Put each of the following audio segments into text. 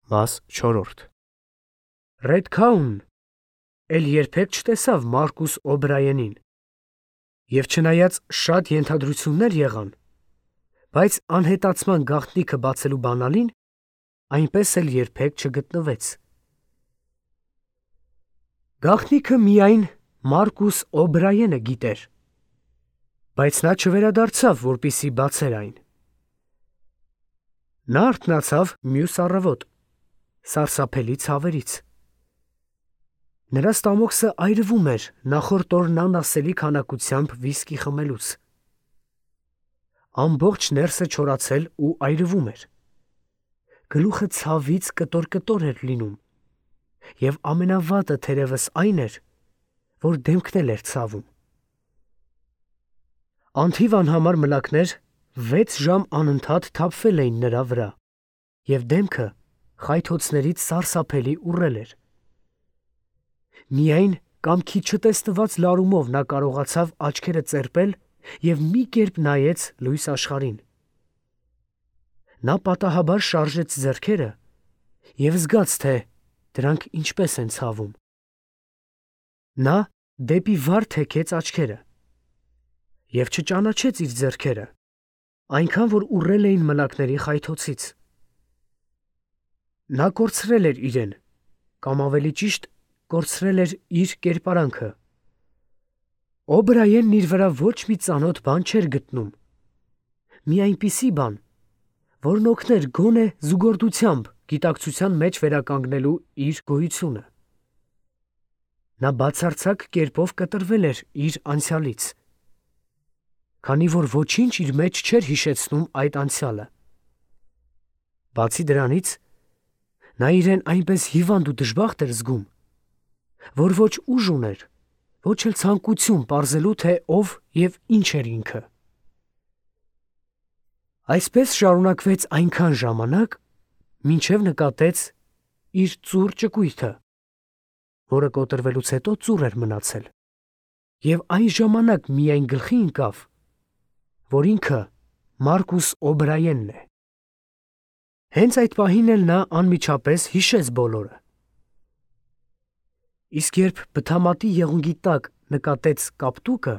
Մաս 4 Ռեդքաունն էլ երբեք չտեսավ Մարկուս Օբրայենին, և չնայած շատ ենթադրություններ եղան, բայց անհետացման գաղտնիքը բացելու բանալին այնպես էլ երբեք չգտնվեց։ Գաղտնիքը միայն Մարկուս Օբրայենը գիտեր, բայց նա չվերադարձավ, որպեսզի բացեր այն։ Նա արթնացավ մյուս առավոտ, սարսափելի ցավերից։ Նրա ստամոքսը այրվում էր նախորդ օրն անասելի քանակությամբ վիսկի խմելուց։ Ամբողջ ներսը չորացել ու այրվում էր։ Գլուխը ցավից կտոր էր լինում, և ամենավատը թերևս այն էր, որ դեմքն էլ էր ցավում։ Անթիվ անհամար մլակներ 6 ժամ անընդհատ թափվել էին նրա վրա, և դեմքը խայթոցներից սարսափելի ուռել էր։ Միայն կամքի չտեսնված լարումով նա կարողացավ աչքերը ծերպել և մի կերպ նայեց լույս աշխարհին։ Նա պատահաբար շարժեց ձեռքերը և զգաց, թե դրանք ինչպես են ցավում։ Նա դեպի վար թեքեց աչքերը և չճանաչեց իր ձեռքերը, այնքան որ ուռել էին մլակների խայթոցից։ Նա կորցրել էր իրեն, կամ ավելի ճիշտ, կորցրել էր իր կերպարանքը։ Օբրայենն իր վրա ոչ մի ծանոթ բան չէր գտնում, մի այնպիսի բան, որն օգներ գոնե զուգորդությամբ գիտակցության մեջ վերականգնելու իր գոյությունը։ Նա բացարձակ կերպով կտրվել էր իր անցյալից, քանի որ ոչինչ իր մեջ չէր հիշեցնում այդ անցյալը։ Բացի դրանից, նա իրեն այնպես հիվանդ ու դժբախտ էր զգում, որ ոչ ուժ ուներ, ոչ էլ ցանկություն պարզելու, թե ով և ինչ էր ինքը։ Այսպես շարունակվեց այնքան ժամանակ, մինչև նկատեց իր ծուռ ճկույթը, որը կոտրվելուց հետո ծուռ էր մնացել, և այն ժամանակ միայն գլխի ընկավ, որ ինքը Մարկուս Օբրայենն է։ Հենց այդ պահին էլ նա անմիջապես հիշեց բոլորը։ Իսկ երբ բթամատի եղունգի տակ նկատեց կապտուկը,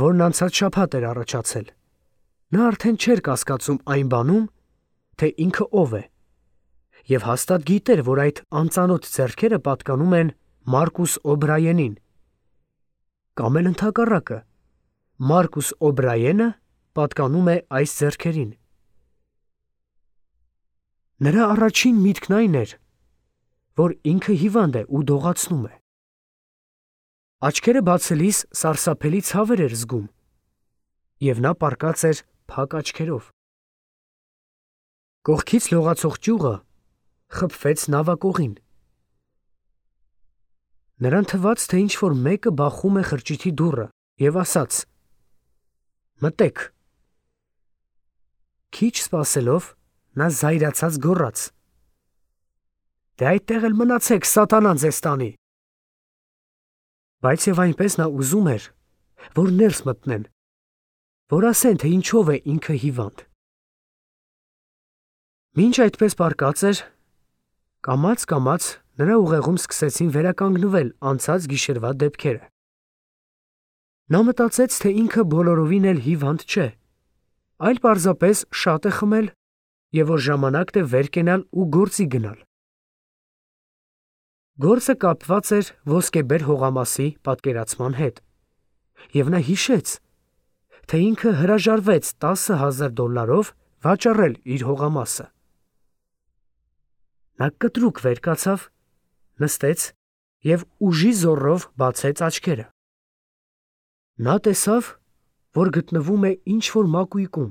որն անցած շաբաթ էր առաջացել, նա արդեն չէր կասկածում այն բանում, թե ինքը ով է, և հաստատ գիտեր, որ այդ անծանոթ ձեռքերը պատկանում են Մարկուս Օբրայենին, կամ էլ ընդհակառակը, Մարկուս Օբրայենը պատկանում է այս ձեռքերին։ Նրա առաջին միտքն այն էր, որ ինքը հիվանդ է ու դողացնում է։ Աչքերը բացելիս սարսափելի ցավեր էր զգում, և նա պառկած էր փակ աչքերով։ Կողքից լողացող ճյուղը խփվեց նավակողին։ Նրան թվաց, թե ինչ-որ մեկը բախում է խրճիթի դուռը և ասաց. «Մտե՛ք»։ Քիչ սպասելով, նա զայրացած գոռաց. «Դե այդտեղ էլ մնացեք, սատանան ձեզ տանի»։ Բայց և այնպես նա ուզում էր, որ ներս մտնեն, որ ասեն, թե ինչով է ինքը հիվանդ։ Մինչ այդպես պառկած էր, կամաց նրա ուղեղում սկսեցին վերականգնվել անցած գիշերվա դեպքերը։ Նա մտածեց, թե ինքը բոլորովին էլ հիվանդ չէ, այլ պարզապես շատ է խմել, և որ ժամանակն է վեր կենալ ու գործի գնալ։ Գործը կապված էր ոսկեբեր հողամասի պատկերացման հետ, և նա հիշեց, թե ինքը հրաժարվեց $10,000 վաճառել իր հողամասը։ Նա կտրուկ վեր կացավ, նստեց և ուժի զոռով բացեց աչքերը։ Նա տեսավ, որ գտնվում է ինչ-որ մակույկում,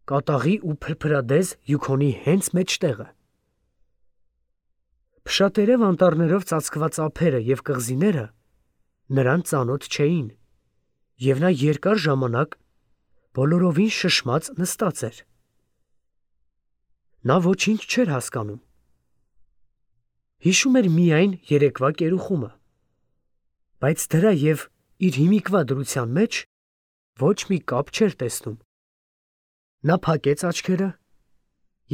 կատաղի ու փրփրադեզ հյուքոնի հենց մեջտեղը։ Փշատերև անտառներով ծածկված ափերը և կղզիները նրան ծանոթ չէին, և նա երկար ժամանակ բոլորովին շշմած նստած էր։ Նա ոչինչ չէր հասկանում։ Հիշում էր միայն երեկվա կերուխումը, բայց դրա և իր հիմիկվա դրության մեջ ոչ մի կապ չէր տեսնում։ Նա փակեց աչքերը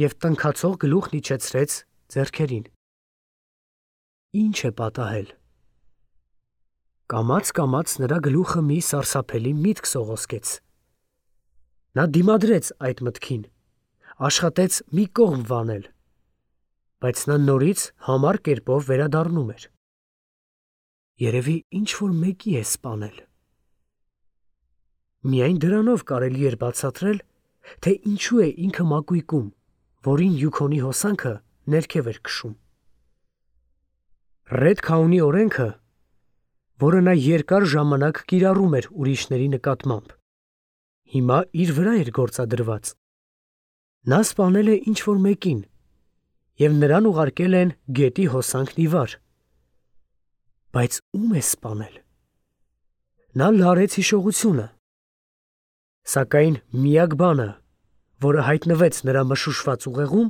և տնքացող գլուխն իջեցրեց ձեռքերին։ Ինչ է պատահել։ Կամաց նրա գլուխը մի սարսափելի միտք սողոսկեց։ Նա դիմադրեց այդ մտքին, աշխատեց մի կողմ վանել, բայց նա նորից համառ կերպով վերադառնում էր։ Երևի ինչ-որ մեկի է սպանել։ Միայն դրանով կարելի էր բացատրել, թե ինչու է ինքը մակույկում, որին Յուքոնի հոսանքը ներքև էր քշում։ Ռեդ Քաունի օրենքը, որը նա երկար ժամանակ կիրառում էր ուրիշների նկատմամբ, հիմա իր վրա էր գործադրված։ Նա սպանել է ինչ-որ մեկին, և նրան ուղարկել են գետի հոսանքն ի վար։ Բայց ում է սպանել։ Նա լարեց հիշողությունը, սակայն միակ բանը, որը հայտնվեց նրա մշուշված ուղեղում,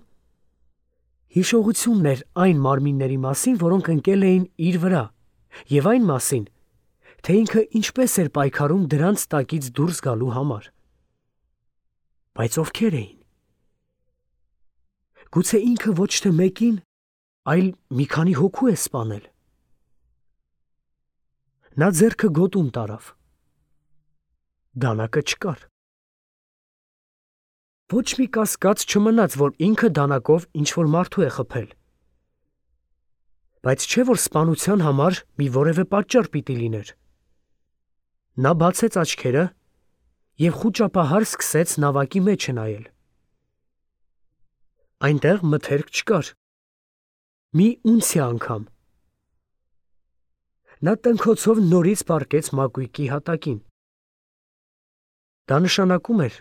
հիշողությունն էր այն մարմինների մասին, որոնք ընկել էին իր վրա, և այն մասին, թե ինքը ինչպես էր պայքարում դրանց տակից դուրս գալու համար։ Բայց ովքեր էին։ Գուցե ինքը ոչ թե մեկին, այլ մի քանի հոգու է սպանել։ Նա ձեռքը գոտում տարավ։ Դանակը չկար։ Ոչ մի կասկած չմնաց, որ ինքը դանակով ինչ-որ մարդու է խփել։ Բայց չէ՞ որ սպանության համար մի որևէ պատճառ պիտի լիներ։ Նա բացեց աչքերը և խուճապահար սկսեց նավակի մեջը նայել։ Այնտեղ մթերք չկար։ Մի ունցիա անգամ։ Նա տնքոցով նորից պառկեց մակույկի հատակին։ Դա նշանակում էր,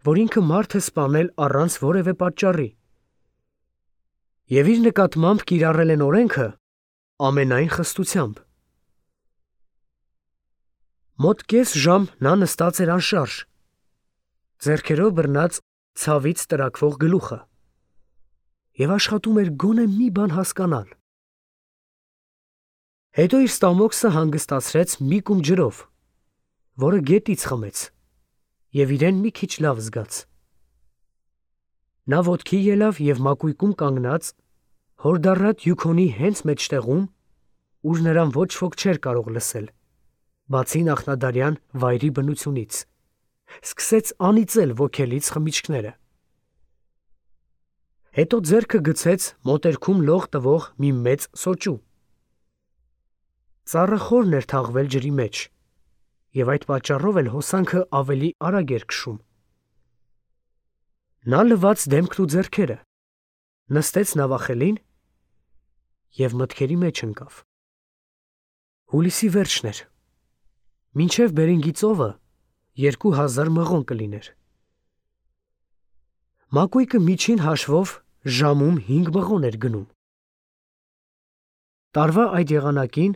որ ինքը մարդ է սպանել առանց որևէ պատճառի, և իր նկատմամբ կիրառել են օրենքը ամենայն խստությամբ։ Մոտ կես ժամ նա նստած էր անշարժ, ձեռքերով բռնած ցավից տրաքվող գլուխը, և աշխատում էր գոնե մի բան հասկանալ։ Հետո իր ստամոքսը հանգստացրեց մի կում ջրով, որը գետից խմեց, և իրեն մի քիչ լավ զգաց։ Նա ոտքի ելավ և մակույկում կանգնած, հորդառատ Յուքոնի հենց մեջտեղում, ուր նրան ոչ ոք չէր կարող լսել, բացի նախնադարյան վայրի բնությունից, սկսեց անիծել ոգելից խմիչքները։ Հետո ձեռքը գցեց մոտերքում լող տվող մի մեծ սոճու։ Ծառը խորն էր թաղվել ջրի մեջ, և այդ պատճառով էլ հոսանքը ավելի արագ էր քշում։ Նա լվաց դեմքն ու ձեռքերը, նստեց նավախելին և մտքերի մեջ ընկավ։ Հուլիսի վերջն էր։ Մինչև Բերինգի ծովը 2000 մղոն կլիներ։ Մակույկը միջին հաշվով ժամում 5 մղոն էր գնում։ Տարվա այդ եղանակին,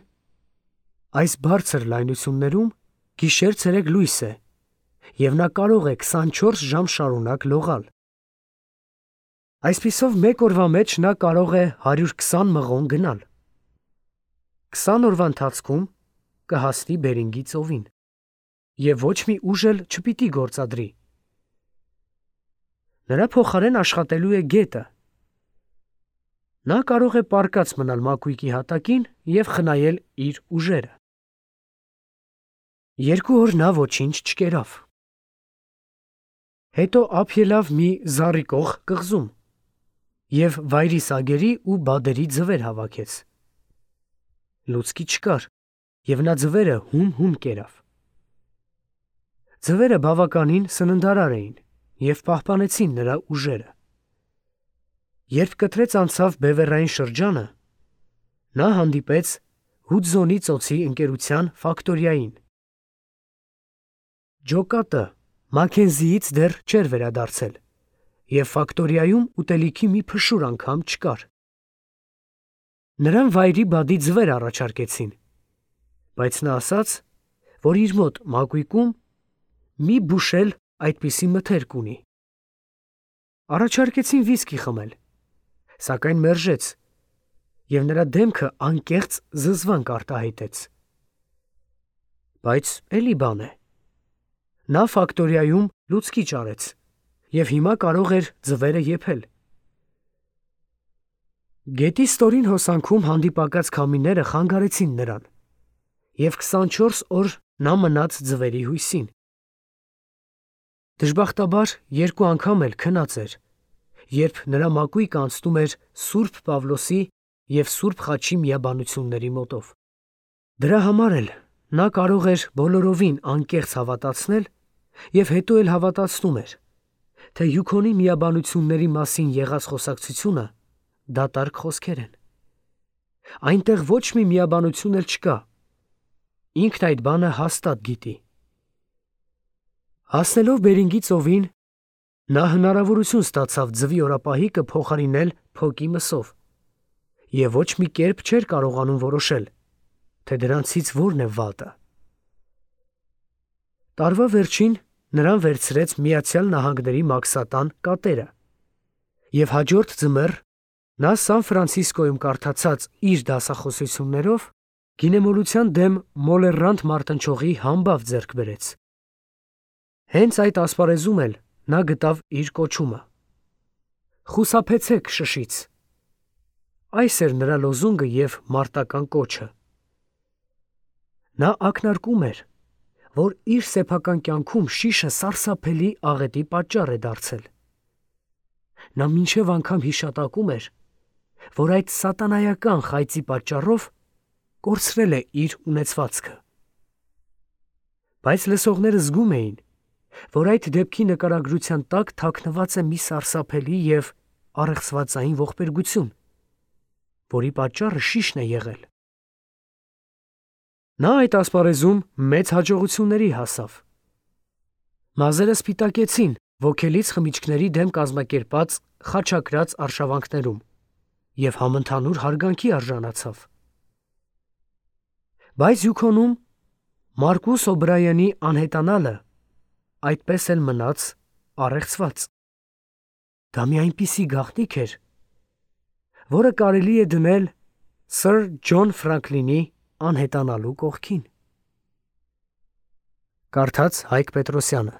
այս բարձր լայնություններում գիշեր-ցերեկ լույս է, և նա կարող է 24 ժամ շարունակ լողալ։ Այսպիսով մեկ օրվա մեջ նա կարող է 120 մղոն գնալ։ 20 օրվա ընթացքում կհասնի Բերինգի ծովին, և ոչ մի ուժ էլ չպիտի գործադրի։ Նրա փոխարեն աշխատելու է գետը։ Նա կարող է պառկած մնալ մակույկի հատակին և խնայել իր ուժերը։ 2 օր նա ոչինչ չկերավ։ Հետո ափ ելավ մի զառիկող կղզում և վայրի սագերի ու բադերի ձվեր հավաքեց։ Լուցկի չկար, և նա ձվերը հում կերավ։ Ձվերը բավականին սննդարար էին և պահպանեցին նրա ուժերը։ Երբ կտրեց անցավ բևեռային շրջանը, նա հանդիպեց Հուդզոնի ծոցի ընկերության ֆակտորիային։ Ջոկատը Մաքենզիից դեռ չէր վերադարձել, և ֆակտորիայում ուտելիքի մի փշուր անգամ չկար։ Նրան վայրի բադի ձվեր առաջարկեցին, բայց նա ասաց, որ իր մոտ մակույկում մի բուշել այդպիսի մթերք ունի։ Առաջարկեցին վիսկի խմել, սակայն մերժեց, և նրա դեմքը անկեղծ զզվանք արտահայտեց։ Բայց էլի բան է։ Նա ֆակտորիայում լուցկի ճարեց, և հիմա կարող էր ձվերը եփել։ Գետի ստորին հոսանքում հանդիպակաց քամիները խանգարեցին նրան, և 24 օր նա մնաց ձվերի հույսին։ Դժբախտաբար երկու անգամ էլ քնած էր, երբ նրա մակույկը անցնում էր Սուրբ Պավլոսի և Սուրբ Խաչի միաբանությունների մոտով։ Դրա համար էլ նա կարող էր բոլորովին անկեղծ հավատացնել և հետո էլ հավատացնում էր, թե Յուքոնի միաբանությունների մասին եղած խոսակցությունը դատարկ խոսքեր են։ Այնտեղ ոչ մի միաբանություն էլ չկա, ինքն այդ բանը հաստատ գիտի։ Հասնելով Բերինգի ծովին, նա հնարավորություն ստացավ ձվի օրապահիկը փոխարինել փոկի մսով և ոչ մի կերպ չէր կարողանում որոշել, թե դրանցից որն է վատը։ Տարվա վերջին նրան վերցրեց Միացյալ Նահանգների մաքսատան կատերը, և հաջորդ ձմեռ նա Սան Ֆրանցիսկոյում կարդացած իր դասախոսություններով գինեմոլության դեմ մոլեռանդ մարտնչողի համբավ ձեռք բերեց։ Հենց այդ ասպարեզում էլ նա գտավ իր կոչումը. «Խուսափեցեք շշից»։ Այս էր նրա լոզունգը և մարտական կոչը։ Նա ակնարկում էր, որ իր սեփական կյանքում շիշը սարսափելի աղետի պատճառ է դարձել։ Նա մինչև անգամ հիշատակում էր, որ այդ սատանայական խայծի պատճառով կորցրել է իր ունեցվածքը։ Բայց լսողները զգում էին, որ այդ դեպքի նկարագրության տակ թաքնված է մի սարսափելի և առեղծվածային ողբերգություն, որի պատճառը շիշն է եղել։ Նա այդ ասպարեզում մեծ հաջողությունների հասավ։ Մազերը սպիտակեցին ոգելից խմիչքների դեմ կազմակերպած խաչակրաց արշավանքներում և համընդհանուր հարգանքի արժանացավ։ Բայց Յուքոնում Մարկուս Օբրայանի անհետանալը այդպես էլ մնաց առեղծված։ Դա մի այնպիսի գաղտնիք էր, որը կարելի է դնել Սըր Ջոն Ֆրանկլինի անհետանալու կողքին։ Կարդաց Հայկ Պետրոսյանը,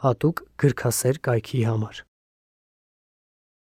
հատուկ գրքասեր կայքի համար։